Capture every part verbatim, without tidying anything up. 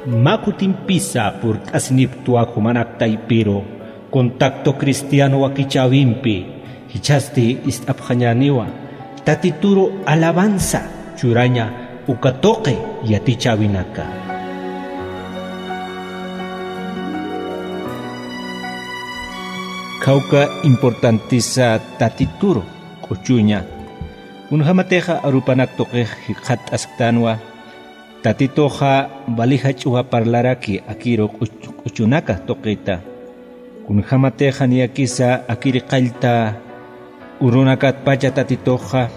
Mä kutimpisa purt'asinipktwa jumanak taypiru contacto cristiano wakichäwimpi, jichhasti ist'apxañäniwa Tatituru alabanza churaña uka tuqi yatichäwinaka. Khawka importantisa Tatituru k'uchuña. Kunjämatixa arupanak tuqix jikxatt'asktanwa, Tatituxa wali jach'uwa parlaraki akiru k'uch-, k'uchunaka tuqita. Kunjämatixa niyakisa akiri qallta urunakatpacha Tatituxa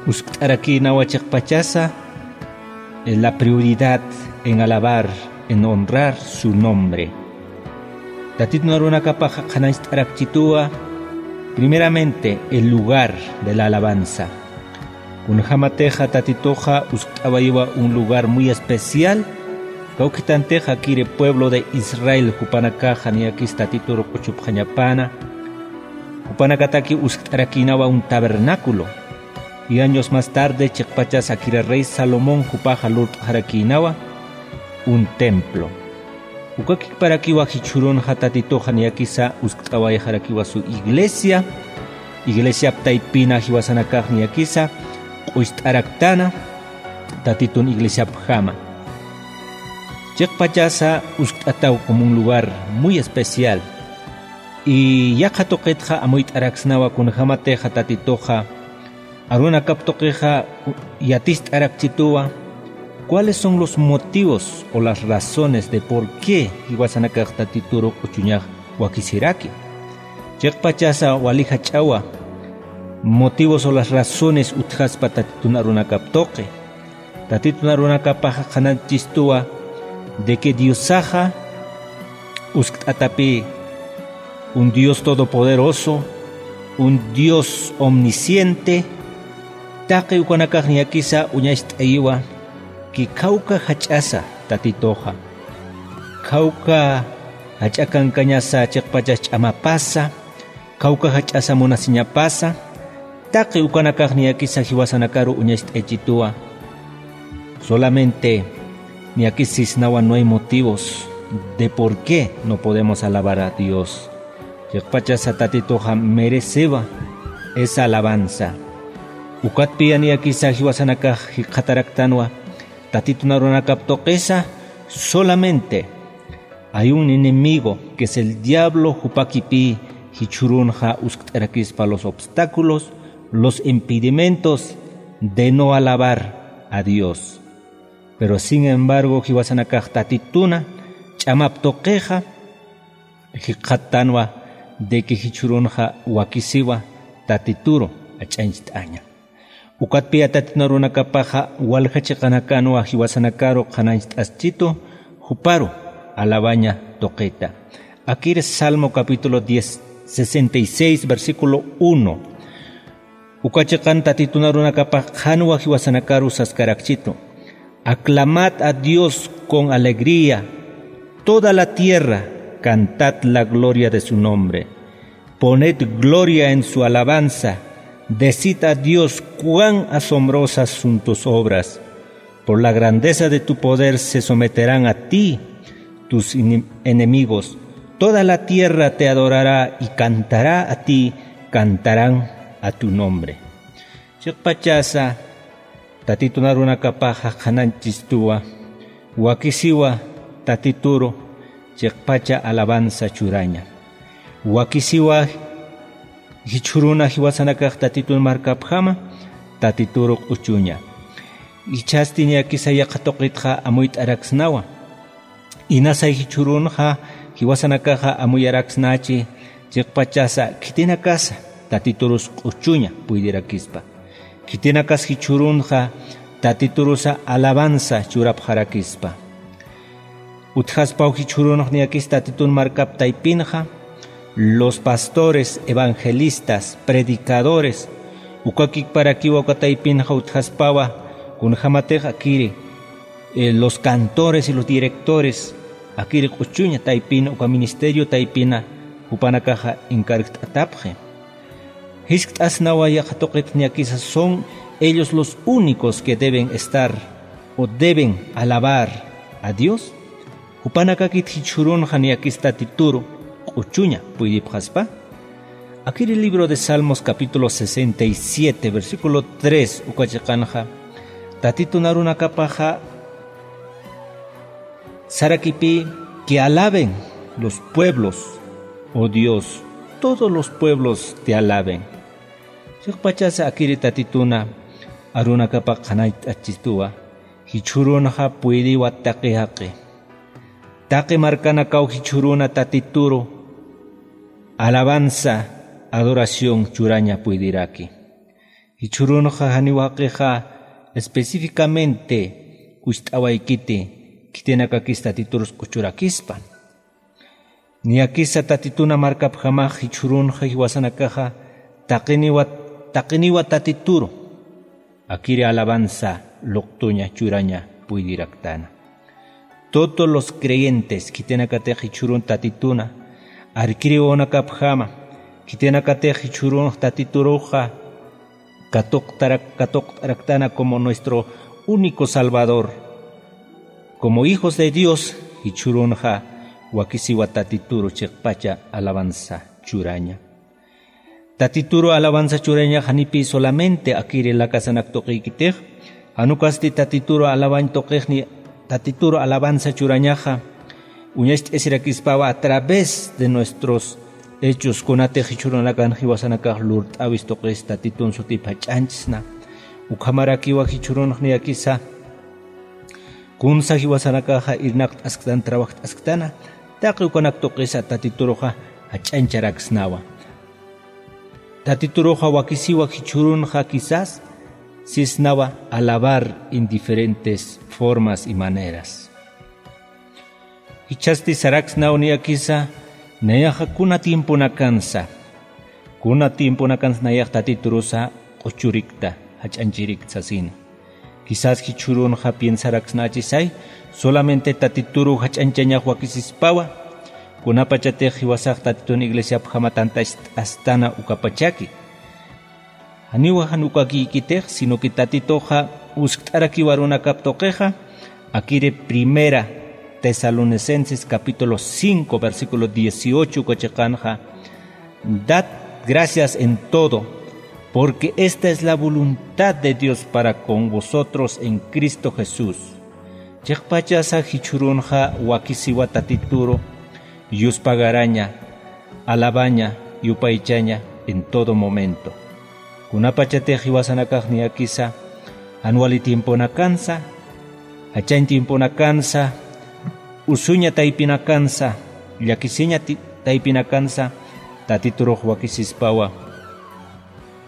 uskt'arakïnawa chiqpachasa, eh, la prioridad en alabar, en honrar su nombre. Tatitun arunakapaxa qhanañcht'arakchituwa, primeramente, el lugar de la alabanza. Kunjämatixa Tatituxa uskt'awayiwa un lugar muy especial, kawkhitantixa akiri pueblo de Israel jupanakaxa niyakis Tatituru k'uchupxañapäna, jupanakataki uskt'arakïnawa un tabernáculo. Y años más tarde, chiqpachas akira rey Salomón jupaxa lurt'xarakïnawa un templo. Ukakikparakiwa jichhürunxa Tatituxa niyakisa uskt'awayxarakiwa su iglesia, iglesiap taypina jiwasanakax niyakisa q'ucht'araktana Tatitun iglesiapjama. Chiqpachasa uskt'ataw como un lugar muy especial. Y yaqha tuqitxa amuyt'araksnawa kunjämatixa Tatituxa arunakap tuqixa yaticht'arakchituwa, ¿cuáles son los motivos o las razones de por qué jiwasanakax Tatituru k'uchuñax wakisiraki? Chiqpachasa wali jach'awa motivos o las razones utjaspa Tatitun arunakap tuqi. Tatitun arunakapaxa qhanañchistuwa de que Diosaxa uskt'atapï un Dios todopoderoso, un Dios omnisciente, taqi ukanakax niyakisa uñacht'ayiwa, que khawka jach'asa Tatituxa, khawka jach'a kankañasa chiqpachas ch'amapasa, khawka jach'asa munasiñapasa, taqi ukanakax niyakisa jiwasanakaru uñacht'aychituwa. Solamente niyakis sisnawa no hay motivos de por qué no podemos alabar a Dios. Chiqpachasa Tatituxa merecewa esa alabanza. Ukatpiya niyakisa jiwasanakax jikxataraktanwa Tatitun arunakap tuqisa, solamente hay un enemigo, que es el diablo, jupakipï jichhürunxa uskt'arakispa los obstáculos, los impedimentos de no alabar a Dios. Pero sin embargo, jiwasanakax Tatituna ch'amap tuqixa jikxattanwa de que jichhürunxa wakisiwa Tatituru jach'añcht'aña. Ukatpiya Tatitun arunakapaxa walja chiqanakanwa jiwasanakaru qhanañcht'aschitu, juparu alabaña tuqita. Akir Salmo capítulo diez, sesenta y seis, versículo uno. Uka chiqan Tatitun arunakapax qhanwa jiwasanakaru saskarakchitu: Aclamad a Dios con alegría, toda la tierra, cantad la gloria de su nombre. Poned gloria en su alabanza, decid a Dios cuán asombrosas son tus obras. Por la grandeza de tu poder se someterán a ti tus enem-, enemigos. Toda la tierra te adorará y cantará a ti, cantarán a tu nombre. Chiqpachasa Tatitun arunakapaxa qhanañchistuwa, wakisiwa Tatituru chiqpacha alabanza churaña. Wakisiwa jichhüruna jiwasanakax Tatitun markapjama, Tatituru k'uchuña. Jichhasti niyakisa yaqha tuqitxa amuyt'araksnawa. Inasay jichhürunxa jiwasanakaxa amuyaraksnachi, chiqpachasa khitinakasa Tatiturus k'uchuña puydirakispa. Khitinakas jichhürunxa Tatiturusa alabanza churapxarakispa. Utjaspaw jichhürunx niyakis Tatitun markap taypinxa, los pastores, evangelistas, predicadores, ukakikparakiwa uka taypinxa utjaspawa, kunjämatix akiri, eh, los cantores y los directores, akiri k'uchuña taypina, uka ministerio taypina jupanakaxa encargt'atapxi. Jiskt'asnawa yaqha tuqit niyakisa son ellos los únicos que deben estar o deben alabar a Dios, jupanakakit jichhürunxa niyakis Tatituru q'uchuña puydipxaspa. Akiri libro de Salmos capítulo sesenta y siete, versículo tres uka chiqanxa, Tatitun arunakapaxa sarakipï: Que alaben los pueblos, oh Dios, todos los pueblos te alaben. Chiqpachasa akiri Tatituna arunakapa qhanayt'achistuwa, jichhürunxa puydiwa taqi jaqi. Taqi markanakaw jichhüruna Tatituru alabanza, adoración churaña puydiraki. Jichhürunxa janiw jaqixa específicamente kucht'awaykiti khitinakakis Tatiturus q'uchurakispa. Niyakisa Tatituna markapjamax jichhürunxa jiwasanakaxa taqiniwa, taqiniwa Tatituru akiri alabanza luqtuña churaña puydiraktana. Todos los creyentes khitinakatix jichhürun Tatituna arkiriwanakapjama, khitinakatix jichhürun Tatituruxa katuqtarak-, katuqt'araktana como nuestro único Salvador. Como hijos de Dios, jichhürunxa wakisiwa Tatituru chiqpacha alabanza churaña. Tatituru alabanza churaña janipï solamente akiri lakasanak tuqïkitix, jan ukasti Tatituru alabañ tuqixni, Tatituru alabanza churañaxa uñacht'asirakispawa a través de nuestros hechos, kunatix jichhürunakan jiwasanakax lurt'awis tuqis Tatitun sutip jach'añchsna. Ukhamarakiwa jichhürunx niyakisa kunsa jiwasanakaxa irnaqt'asktan, trabajt'asktana, taqi ukanak tuqisa Tatituruxa jach'añcharaksnawa. Tatituruxa wakisiwa jichhürunxa quizás sisnawa alabar en diferentes formas y maneras. Jichhasti saraksnaw niyakisa, nayaxa kuna tiemponakansa, kuna tiemponakansa nayax Tatiturusa q'uchurikta, jach'añchirikta sasina. Quizás jichhürunxa piensaraksnächisay, solamente Tatituru jach'añchañax wakisispawa, kunapachatix jiwasax Tatitun iglesiapjama tantacht'astana ukapachaki. Janiwa jan ukakïkitix, sino que Tatituxa uskt'arakiwa arunakap tuqixa, akiri Primera Tesalonicenses capítulo cinco, versículo dieciocho uka chiqanxa, Dad gracias en todo, porque esta es la voluntad de Dios para con vosotros en Cristo Jesús. Chiqpachasa jichhürunxa wakisiwa Tatituru yuspagaraña, alabaña, yupaychaña en todo momento. Kunapachatix jiwasanakax niyakisa jan wali tiemponakansa, jachañ tiemponakansa, usuña taypinakansa, llakisiña ti-, taypinakansa, Tatiturux wakisispawa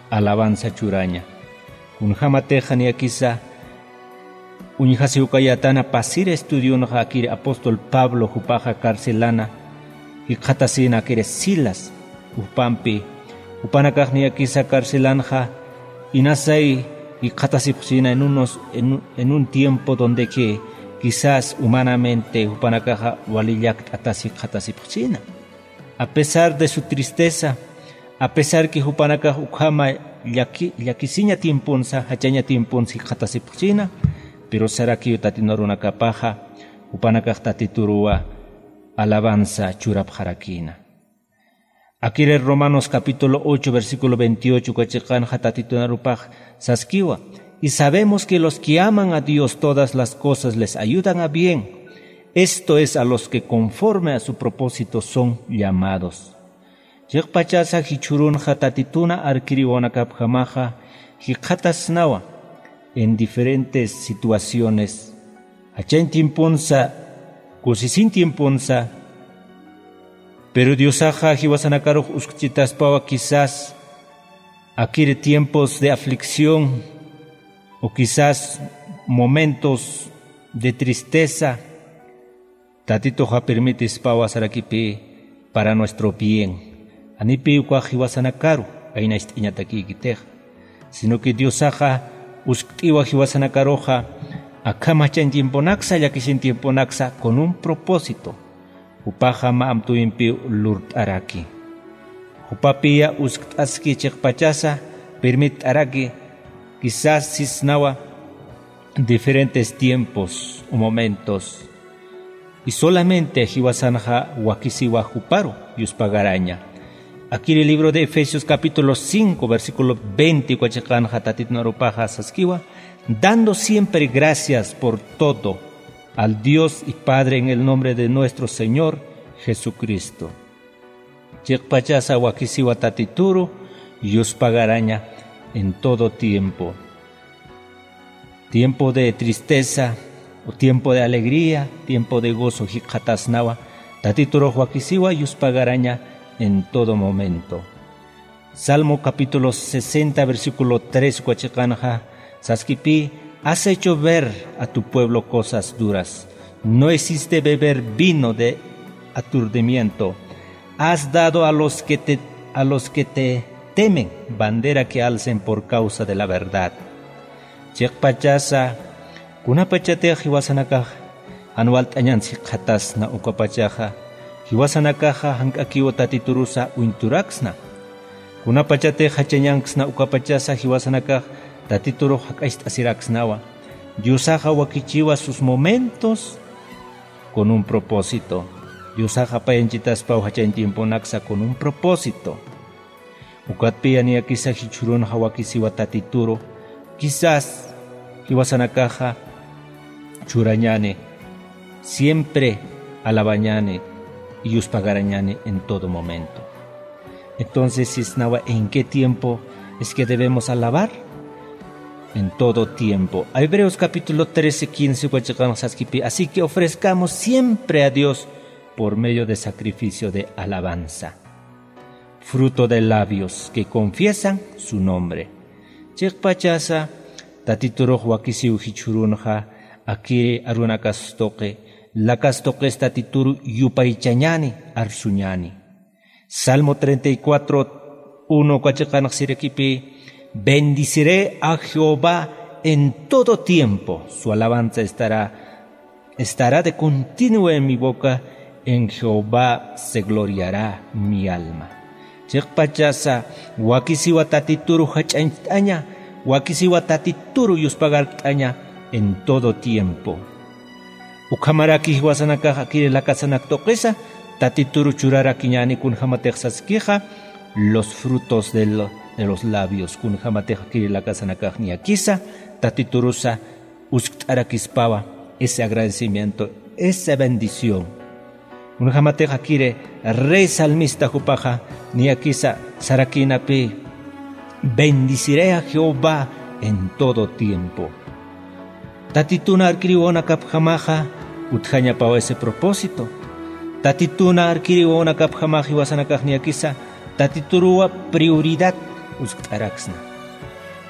alabanza churaña. Kunjämatix niyakisa uñjasiw kayätana pasir estudionxa akiri apóstol Pablo jupaxa carcelana jikxatasïna akiri Silas jupampi, jupanakax niyakisa carcelanxa inasay jikxatasipxsïna en unos, en, en un tiempo donde que quizás humanamente jupanakaxa wali llakt'atas jikxatasipxsïna. A pesar de su tristeza, a pesar que jupanakax ukhama llaki-, llakisiña tiemponsa, jachaña tiemponsa jikxatasipxsïna, pero sarakiw Tatitun arunakapaxa, jupanakax Tatituruwa alabanza churapxarakïna. Akiri Romanos capítulo ocho, versículo veintiocho uka chiqanxa Tatitun arupax saskiwa: Y sabemos que los que aman a Dios todas las cosas les ayudan a bien, esto es, a los que conforme a su propósito son llamados. Chiqpachasa jichhürunxa Tatituna arkiriwanakapjamaxa jikxatasnawa en diferentes situaciones. Jachañ tiemponsa, kusisiñ tiemponsa, pero Diosaxa jiwasanakarux uskchitaspawa quizás akiri tiempos de aflicción o quizás momentos de tristeza, Tatituxa permitispawa sarakipï para nuestro bien. Janipï ukax jiwasanakaru aynacht'añatakïkitix, sino que Diosaxa uskt'iwa jiwasanakaruxa akham jachañ tiemponaksa, llakisiñ tiemponaksa con un propósito. Jupaxa mä amtuyimpiw lurt'araki. Jupapiya uskt'aski chiqpachasa permitt'araki, quizás sisnawa diferentes tiempos o momentos Y solamente jiwasanxa wakisiwa juparu yuspagaraña. Akiri libro de Efesios capítulo cinco, versículo veinte uka chiqanxa Tatitun arupaxa saskiwa: "Dando siempre gracias por todo al Dios y Padre en el nombre de nuestro Señor Jesucristo." Chiqpachasa wakisiwa Tatituru yuspagaraña en todo tiempo. Tiempo de tristeza o tiempo de alegría, tiempo de gozo jikxatasnawa, Tatiturux wakisiwa yuspagaraña en todo momento. Salmo capítulo sesenta, versículo tres uka chiqanxa saskipï: "Has hecho ver a tu pueblo cosas duras. No hiciste beber vino de aturdimiento. Has dado a los que te, a los que te temen bandera que alcen por causa de la verdad." Chiqpachasa, kunapachatix jiwasanakax jan walt'añans jikxatasna ukapachaxa, jiwasanakaxa jank'akiw Tatiturusa uñturaksna. Kunapachatix jachañanksna ukapachasa jiwasanakax Tatiturux jak'acht'asiraksnawa. Diosaxa wakichiwa sus momentos con un propósito. Diosaxa payanchitaspaw jachañ tiemponaksa con un propósito. Ukatpï niyakisa jichhürunxa wakisiwa Tatituru, quizás jiwasanakaxa churañäni, siempre alabañäni y yuspagarañäni en todo momento. Entonces, sisnawa, ¿en qué tiempo es que debemos alabar? En todo tiempo. Hebreos capítulo trece, quince uka chiqanxa saskipï: "Así que ofrezcamos siempre a Dios por medio de sacrificio de alabanza, fruto de labios que confiesan su nombre." Chiqpachasa, Tatiturux wakisiw jichhürunxa, akiri arunakas tuqi, lakas tuqis Tatituru yupaychañäni, arsuñäni. Salmo treinta y cuatro, uno uka chiqanxa sirakipï: "Bendiciré a Jehová en todo tiempo, su alabanza estará, estará de continuo en mi boca, en Jehová se gloriará mi alma." Chiqpachasa, wakisiwa Tatituru jach'añcht'aña, wakisiwa Tatituru yuspagart'aña en todo tiempo. Ukhamaraki jiwasanakax akiri lakasanak tuqisa Tatituru churarakiñäni, kunjämatix saskixa los frutos de lo-, de los labios, kunjämatix akiri lakasanakax niyakisa Tatiturusa uskt'arakispawa ese agradecimiento, esa bendición. Kunjämatix akiri rey salmista jupaxa niyakisa sarakïnapï: "Bendiciré a Jehová en todo tiempo." Tatitun arkiri wawanakapjamaxa utjañapawa ese propósito. Tatitun arkiri wawanakapjamaxa jiwasanakax niyakisa Tatituruwa prioridad uskt'araksna.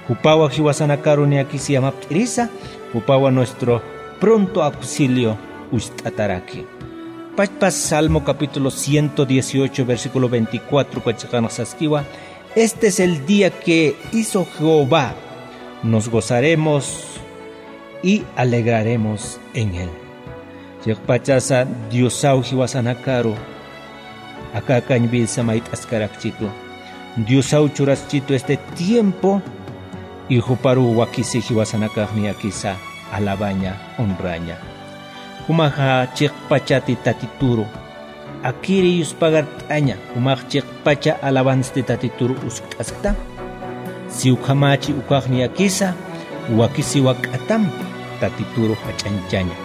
Jupawa jiwasanakaru niyakisa yamapt'irisa, jupawa nuestro pronto auxilio ucht'ataraki. Pachpa Salmo capítulo ciento dieciocho, versículo veinticuatro uka chiqanxa saskiwa: "Este es el día que hizo Jehová, nos gozaremos y alegraremos en él." Chiqpachasa Diosaw jiwasanakaru aka akañ vidasa mayt'askarakchitu. Diosaw churaskchitu este tiempo, y juparu wakisi jiwasanakax niyakisa alabaña, honraña. Jumaxa chiqpachati Tatituru akiri yuspagart'aña, jumax chiqpacha alabanzasti Tatituru uskt'askta. Si ukhamachi ukax niyakisa, wakisiwa k'atampi Tatituru jach'añchaña.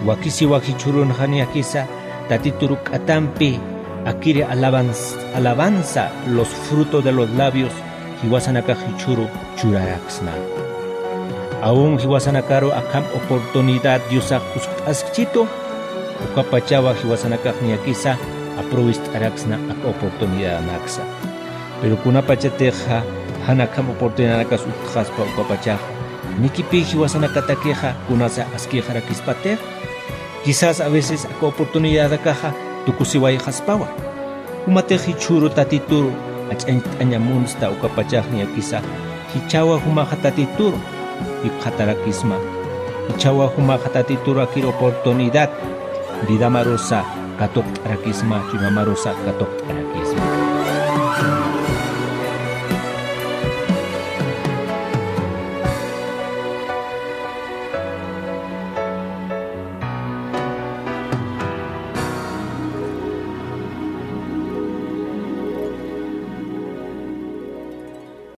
Wakisiwa jichhürunxa niyakisa Tatituru k'atampi akiri alabanz-, alabanza, los frutos de los labios, jiwasanakax jichhüru churaraksna. Aun jiwasanakaru akham oportunidad Diosax uskt'askchitu, ukapachawa jiwasanakax niyakisa aprovecharaksna aka oportunidadanaksa. Pero kunapachatixa jan akham oportunidadanakas utjxaspa ukapachaxa, nikipï jiwasanakatakixa kunasa askïxarakispatix, quizás a veces aka oportunidadakaxa tukusiwayxaspawa. Jumatix jichhüru Tatituru jach'añcht'aña munsta ukapachax niyakisa, jichhawa jumaxa Tatituru jikxatarakisma. Jichhawa jumaxa Tatituru akir oportunidad vidamarusa katuqt'arakisma, chuymamarusa katuqt'arakisma.